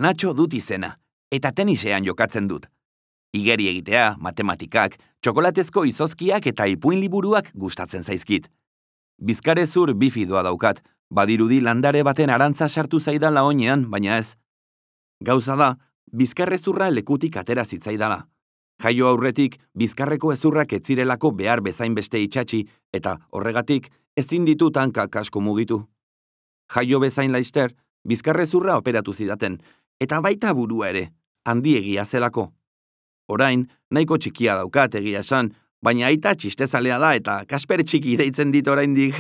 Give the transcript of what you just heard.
Natxo dut izena, eta tenisean jokatzen dut. Igeri egitea, matematikak, txokolatezko izozkiak eta ipuin liburuak gustatzen zaizkit. Bizkarrezur bifidoa daukat, badirudi landare baten arantza sartu zaidala oinean, baina ez. Gauza da, bizkarrezurra lekutik atera zitzaidala. Jaio aurretik, bizkarreko ezurrak etzirelako behar bezain beste itxatxi, eta horregatik ezin ditut hankak asko mugitu. Jaio bezain laister, bizkarrezurra operatu zidaten, eta baita burua ere, handiegia zelako. Orain, nahiko txikia daukat egia esan, baina aita txistezalea da eta Kasper txiki deitzen dit oraindik.